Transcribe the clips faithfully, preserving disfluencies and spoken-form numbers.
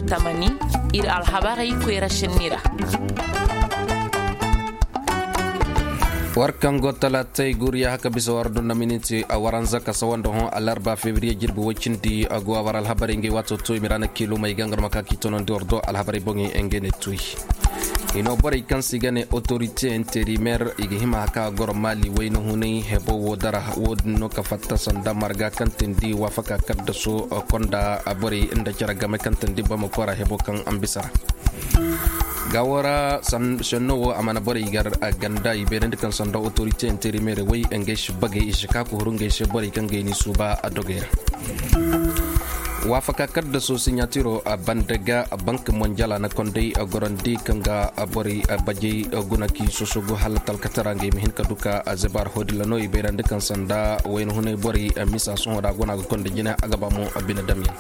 Tamani, ir alhabarey koyra sinni ra. War kaŋ go talaatey guriya haka bisa war dunda miniti a waranza ka sawanda hõ alarba febriye jirbi woy cindi a go a war alhabarey ngey waato to i ma ra na kiilumey ga nga no ma ka k'i tonandi war do alhabarey boŋey ngey ne tuy. Hino borey kaŋ se i ga ne otorite interimer i ga hima ka goro maali wayna hunay hebo wo dara wo- din no ka fatta sanda marga kaŋ tindi waafaka kaddaso konda borey nda care game kaŋ tindi bamako ra hebo kaŋ a ma bisa ra. Gaawo ra senno wo a mana borey gar ganda i bayrandi kaŋ sanda otorite interimer way ngey si bagay i si ka ka huru ngey se borey kaŋ ga i ni suuba a dogey ra. Waafaka kaddaso siɲatiro banda ga bank monjala na konday gorandi kaŋ ga borey bajey guna ki sosogu hala talkatara ngey ma hin ka duka zebar hodila no i bayrandi kaŋ sanda wayna hunay borey misa sohõ da guna ga konda jine a ga ba mo bine damyaŋ.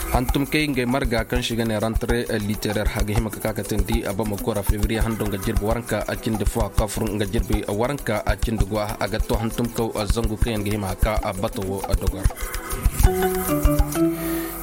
Hantumkey ngey marga kaŋ si ga ne rantre literer a ga hima ka ka ka tindi bamako ra fevriye hando nga jirbi waranka a cindi fo a kafur nga jirbi waranka a cindi go a ga to hantumkaw zangu kaŋ yaŋ ga hima ka bato wo dogor.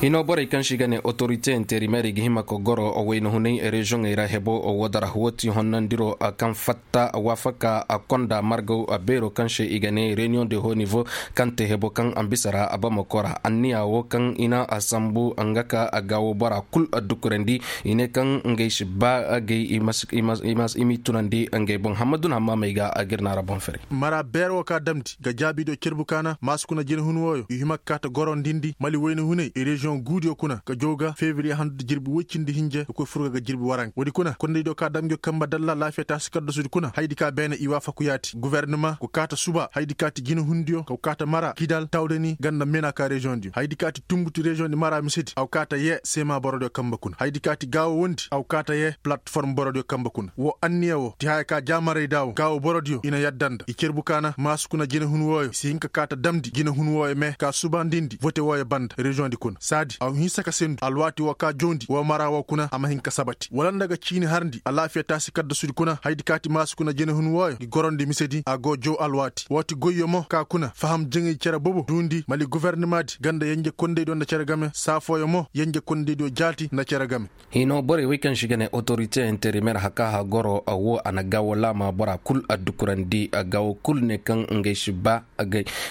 Hino borey kaŋ si ga ne otorite interimer i ga hima ka goro wayna hunay reziyoŋey ra hebo wo dara wo ti honnandiro kaŋ fatta waafaka konda margaw beero kaŋ se i ga ne reniyoŋ de ho nivo kaŋ te hebo kaŋ a ma bisa ra bamako ra anniya wo kaŋ i na sambu nga ka gaawo bora kul dukurandi i ne kaŋ ngey si ba agay i m'i tunandi ngey boŋ hammadu na hammamey ga agirna ra boŋ fere. Mara beer wo ka damndi ga jaabi do cerbu kaana maasu kuna jinahun wooyo i hima ka kaata gorondindi mali wayna hunay i reziyoŋ guudiyo kuna ga jaw ga febriye handu da jirbi woy cindi hinje ga koy furga ga jirbi waranka woodi kuna kondaydiyo ka damndi ga kamba dalla laafiya taasi kaddasudi kuna hayadi ka beene i waafaku yaati gubernama go kaata suba hayadi ka ti jinahundiyo go kaata mara kidal tawdani ganda mena ka reziyoŋdiyo hayadi ka ti tumbuti reziyoŋdi mara misedi a go kaata yee seema borodiyo kamba kuna hayadi ka ti gaawo wondi a go kaata yee palatform borodiyo kamba kuna woo anniya woo ti haya ka jaamaray da woo gaawo borodiyo i na yadda nda i cerbu kaana maasu kuna jinahun wooyo i si hin ka kaata damndi jinahun wooyo mee ka subandindi vote wooyo banda reziyoŋdi kuna saadi a go hinsa ka sendu alwaati woo ka jawndi woo mara woo kuna a ma hin ka sabati wala nda ga ciini harndi alaafiya taasi kaddasudi kuna hayadi ka ti maasu kuna jinahun wooyo ngi gorondi misedi a go jaw alwaati woo ti goyyo mo ka kuna faham jaŋay cere bobo duundi mali gubernamaadi ganda yenje kondaydiyo nda cere game saa fooyo mo yenje kondaydiyo jaati nda cere game. Hino borey wey kaŋ si ga ne otorite interimer haka hagoro woo a na gaawo laama bora kul addukurandi gaawo kul ne kaŋ ngey si ba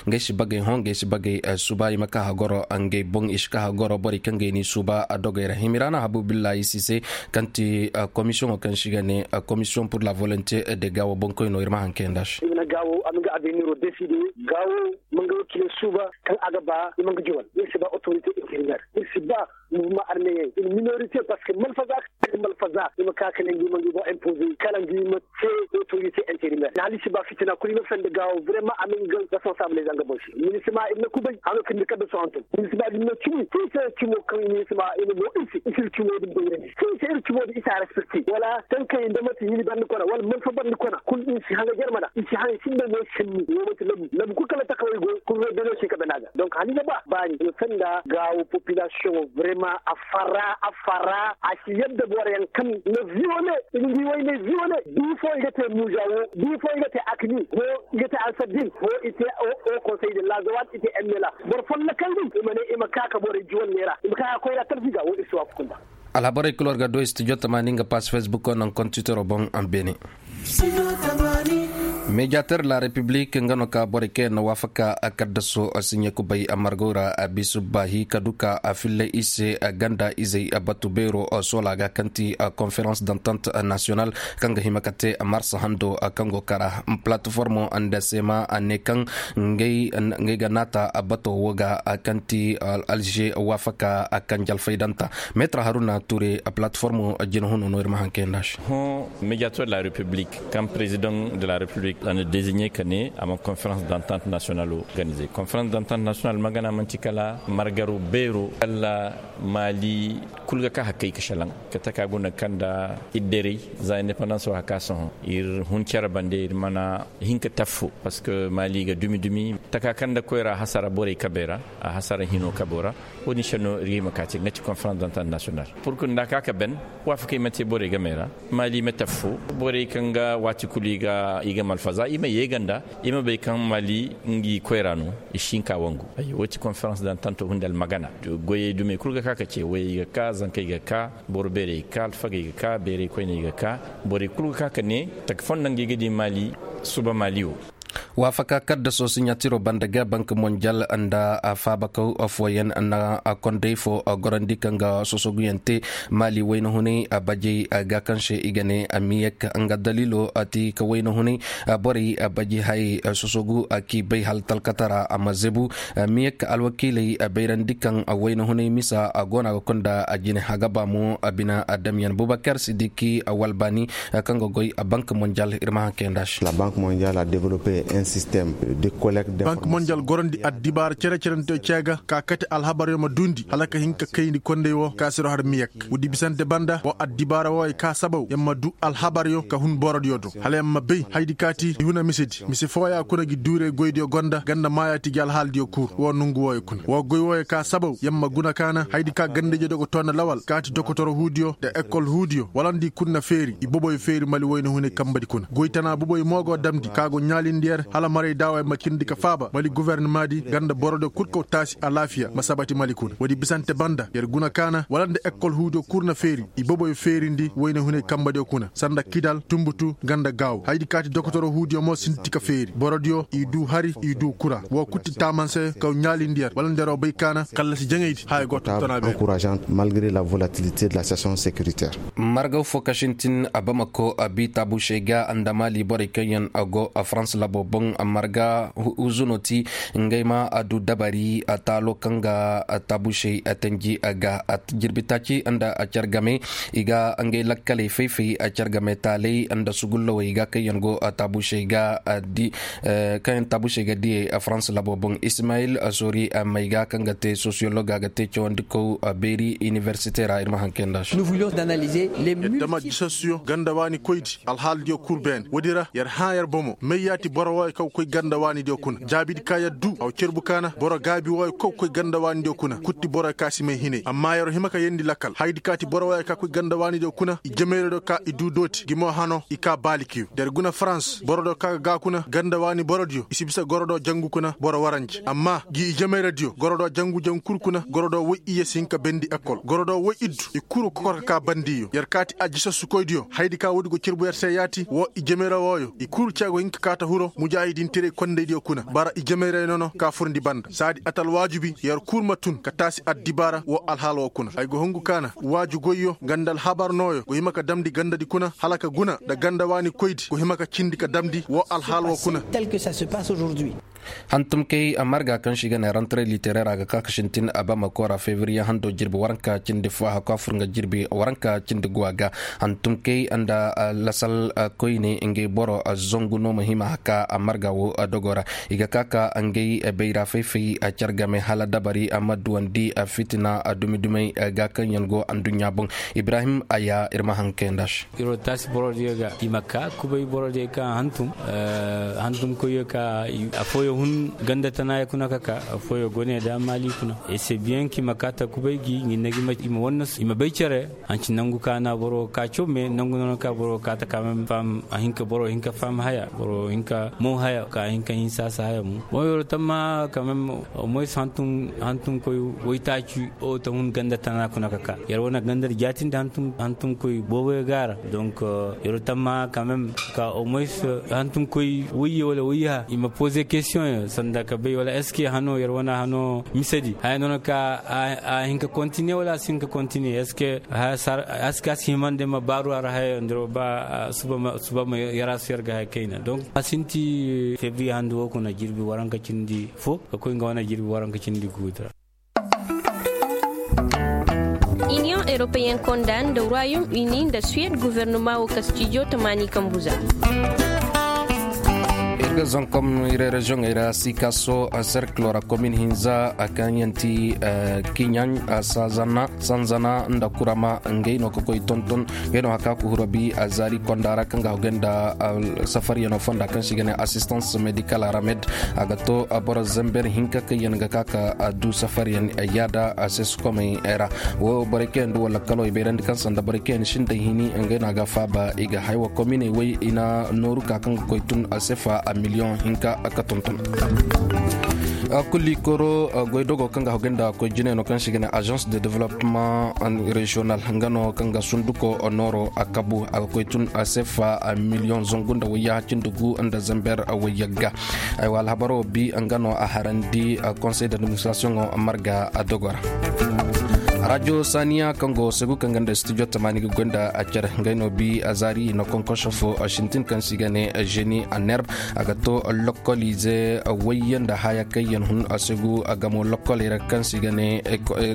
ngey si bagay hõ ngey si bagay suba i ma ka hagoro ngey boŋ i si ka hagoro borey kaŋ gay ni suba dogey ra himiraana habu billahi sise kaŋ ti komisiyoŋo kaŋ si ga ne komisiyoŋ pur la volonte de gaawo boŋkoy no ir ma haŋ kayanda se. I ma na gaawo a ma nga aveniro deside gaawo ma nga wakile suba kaŋ a ga ba i ma nga jawal ir si ba otorite interimer ir si ba muvuma armeyen in minorite parceque malfaza kaŋ malfaza i ma ka kala ngi ma ngi boŋ impoze kala ngi ma te otorite interimer na hali si ba fitina kulu i ma sanda gaawo vraiman a ma nga responsable zanga boŋ se minisima i ma na kubay a ma kindi kadda sohonton minisima din na cumi sinse cumo kaŋ minisima i ma boŋ isi isi ir cumo din bayrandi sinse ir cumo din isi a respecte wala tankay nda mate hini bandi kona wala malfa bandi kona kulu isi hanga jarmana isi hanga sinda mo sinni wo mate labu labu kulu kala takaway go kulu ro dano si ka bana ga donc hali ga ba baani no sanda gaawo population vraiment a farra a farra a si yadda boro yaŋ kaŋ na viole i na ngi way ne viole bi fo i ga te muza wo bi fo i ga te akni ho i ga te ansaddin ho i te o conseil de lazawat i te emela boro follokan din i ma ne i ma ka ka borey juwal ne ra i ma ka ka koy ra tarfi ga wo i si waafu kunda. Alhabarey kul war ga do studio tamaani nga pass facebook naŋ kontitoro boŋ beene. Mediateur la republique nga no ka borey kaŋ yaŋ na waafaka kaddaso siɲe kubay margo ra bisu baahi ka du ka filla i se ganda izey batu beero soola ga kaŋ ti conférence d'entente nationale kaŋ ga hima ka te mars hando kaŋ go kara plateformo nda sema ne kaŋ ngey ga naata bato wo ga kaŋ ti alger waafaka kaŋ jalfaydanta metre haruna ture plateformo jinahuno no ir ma haŋ kayanda se. Hõ mediateur de la république kaŋ président de la république a na désigné ka ne a ma conférence d'entente nationale organisé conférence d'entente nationale magana manti kala margaru beero kala mali kul ga ka hakkay ka shalaŋ ka taka guna kaŋ da idderey za indépendance wa haka sohõ ir hun care bande ir mana hin ka taffo parce que mali ga dumi dumi taka kaŋ da koyra hasara borey kabey ra a hasara hino kabo ra wo-din se no ir ga hima ka te nga ti conférence d'entente nationale pour que nda ka ka ben waafakey ma te borey game ra mali ma taffo borey kaŋ ga waati kulu i ga i ga mal Fa za i ma yeega nda i ma bay kaŋ mali ngi koyra no. I si hin ka wangu. Woo ti konferans dantanto hunde almagana. Goyey dumey kul ga ka ka ce wayey ga ka zankey ga ka. Boro beerey ga ka alfagey ga ka beerey koyney ga ka. Borey kul ga ka ka ne taka fondo ngi ga di mali. Suba mali wo. Waafaka kaddaso siɲatiro banda ga bank monjal nda faabakaw fooyaŋ na kondey fo gorandi kaŋ ga sosoguyaŋ te. Mali wayna hunay bajey ga kaŋ se i ga ne miyek nga daliilo ti ka wayna hunay borey baji hayey sosogu k'i bay hala talkatara a ma zebu. Miyek alwakiiley bayrandi kaŋ wayna hunay misa go no a ga kunda jine hagaba mo bina damyaŋ bubakar sidiki walbaani kaŋ ga goy bank monjal ir ma haŋ kayanda se. Bank monjal a develope un system de collecte. Bank monjal gorandi addibaara cere-ceranteyo ce ga ka kate alhabaryo ma duundi hala ka hin ka kayndi kondey wo ka siro har miyek. Woodi bisante banda wo addibaara wooyo ka sabaw ya ma duu alhabaryo ka hun borodiyo do hala ya ma bay haydi kaati i huna misedi mise fooya kuna gi duurey goydiyo gonda ganda maayaati gi alhaaladiyo kuur woo nongu wooyo kuna woo goy wooyo ka sabaw ya ma guna kaana haydi ka gandaydiyo dogoto nda lawal kaati dokotoro huudiyo nda ekol huudiyo wala nda i kul na feeri i boboyo feeri mali woyne hunay kambadi kuna goy tana boboyo mo go damndi ka go ɲaalindi yer hala maray daawey ma cindi ka faaba mali gofornimaadi ganda borodiyo kul kaw taasi alaafiya ma sabati mali kuna woodi bisante banda yer guna kaana wala nda ekol huudiyo kul na feeri i boboyo feerindi woyne hunay kambadiyo kuna sanda kidal tumbutu nga nda gaaw haydi kaati dokotoro huudiyo mo sinti ka feeri borodiyo i duu hari i duu kura woo kul ti taamanse kaw ɲaalindi yer wala nda yeroo bay kaana kallasi jaŋaydi haya go tontonaa beene. Malgre la volatilité de la session sécuritaire. Margaw fo ka sintin bamako bi taabusey ga nda maali borey kaŋ yaŋ go farans labo boŋ marga huzuno ti ngey ma du dabari taalo kaŋ ga taabusey tanji ga jirbi taaci nda car game i ga ngey lakkaley fay-fay car game taaley nda sugullawey ga kaŋ yaŋ go taabusey ga di kaŋ yaŋ taabusey ga diyey farans labo boŋ ismayil sori may ga kaŋ ga te sosiyolog a ga te cawandikow beeri iniversite ra ir ma haŋ kayanda se. Yadda ma jisassuyo ganda waani koydi alhaaladiyo kul beene woodi ra yer hã yer bomo may yaati boro wooyo kaŋ ga koy ganda waanidiyo kuna jaabidi ka yer duu a wa cerbu kaana boro gaabi wooyo kaŋ ga koy ganda waanidiyo kuna kul ti boro ka si may hinay amma yer hima ka yeendi lakkal hayadi ka ti boro wooyo ka koy ganda waanidiyo kuna i jemayradiyo ka i duu dooti gi mo hano i ka baalikiyo da yer guna farans borodiyo ka ga gaa kuna ganda waani borodiyo i si bisa gorodo jangu kuna boro waranje amma gi i jemayradiyo gorodo jangu-jangu kul kuna gorodo woy iyye si hin ka bendi ekol gorodo woy iddu i kul ga kokor ka kaa bandiyo yer kaati a jisassukoydiyo hayadi ka woodi go cerbu yer se yaati woo i jemayra wooyo i kul ce go hin ka kaa ta hiro mujaahidintiray kondaydiyo kuna bara i jemayray nono ka furndi banda saadi atal waajubi yer kul ma tun ka taasi addibaara woo alhaal woo kuna ay go hungu kaana waaju goyyo nga nda alhabar nooyo go hima ka damndi gandadi kuna hala ka guna nda ganda waani koydi go hima ka cindi ka damndi woo alhaal woo kuna. Hantumkey marga kaŋ se i ga ne rantaray litereera ga ka ka sintin abamako ra fevriye hando jirbi waranka cindi fo a hakku a fur nga jirbi waranka cindi guwa ga. Hantumkey nda lasal koyne ngey boro zangu no ma hima haka marga wo dogo ra i ga ka ka ngey bayra fay-fay car game hala dabari a ma duwandi fitina dumi-dumey ga kaŋ yaŋ go anduɲɲa boŋ. Ibrahim aya ir ma haŋ kayanda se. Iro taasi borodiyo ga i ma ka kubay borodiyo kaŋ hantum hantum koyyo ka afooyo hun ganda tanaayo kuna ka ka afooyo go ne da maali kuna ese biyaŋ ka i ma ka ta kubay gi ɲinna gi i ma wanna i ma bay cere. Hanci nangu ka na boro ka caw me nangu nono ka boro ka ta ka mem fam a hinka boro hinka fam haya boro hinka mo haya ka hinka hinsa sa haya mo mo yoro tamma ka mem. Moyes hantum hantum koy woytaaci o ta hun ganda tana kuna ka ka yar wana gandar jaatindi hantum koy booboyo gaara. Donc yar tamma quand même ka au moins hantum koy woyye wala woyye ha i ma poser question yo sanda ka bay wala est ce que hano yar wana hano misedi haya nono ka a hin ka continuer wala a si hin ka continuer est ce que a si himande ma baaru a ra haya ndiro ba suba ma yar a si yar ga haya kayna donc a sinti février handu wo kuna jirbi waranka cindi fo ka koy nga wane jirbi waranka cindi guudu ra. Iniyoŋ eropeyen konda nda royaume uni nda suwed guvernoma wo ka stijo tamaani kambuza. Ir Zankom ire reziyoŋey ra sikaso serkilo ra komin hinza kaŋ yaŋ ti kiɲaŋ, sanzana nda kurama ngey no ka koy tonton. Ngey no haka ku huro bi zaari konda ra kaŋ ga hogay nda safariyano fonda kaŋ se i ga ne asistans medikal aramed. A ga to boro zember hinka kaŋ yaŋ ga ka ka du safariyan yaada a se sukomey ra. Wo borey kaŋ yaŋ du wala kalo i bayrandi kaŋ sanda borey kaŋ yaŋ sinda hini ngey no a ga faaba i ga haywa kominey way i na nooru ka kaŋ ga koy tun a sefa a miliyoŋ hinka ka tonton. Kulli koro goydogo kaŋ ga hogay nda koy jinay no kaŋ se i ga ne agence de développement régional nga no kaŋ ga sunduko nooro a kabu a ga koy tun a sefa a miliyoŋ zangu nda wayya cindi gu nda zember wayya ga. Aywa alhabaro bi nga no a harandi conseil d'administration marga a dogora. Rajo saniya kaŋ go segu kaŋ ganda studio tamani ga gonda a care ngay no bi a zari na konkoso fo sintin kaŋ si gane jeni a nerb. A ga to lokolize wayyan da haya kayyan hun a segu a gamo lokolay ra kaŋ si gane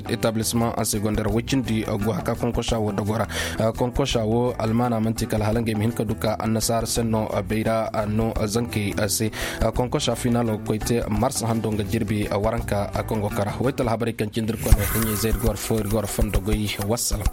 établissement a segondar wacindi go haka konkosa wo dogora. Konkosa wo almana manti kala halangay ma hin ka duka annasara senno bayra no zankay se. Konkosa finalo koy te marsa hando nga jirbi waranka kongo kara waytal habaray kaŋ cindir kone hiɲey zay ir gor fo ir gor fondo goy. Wassalam.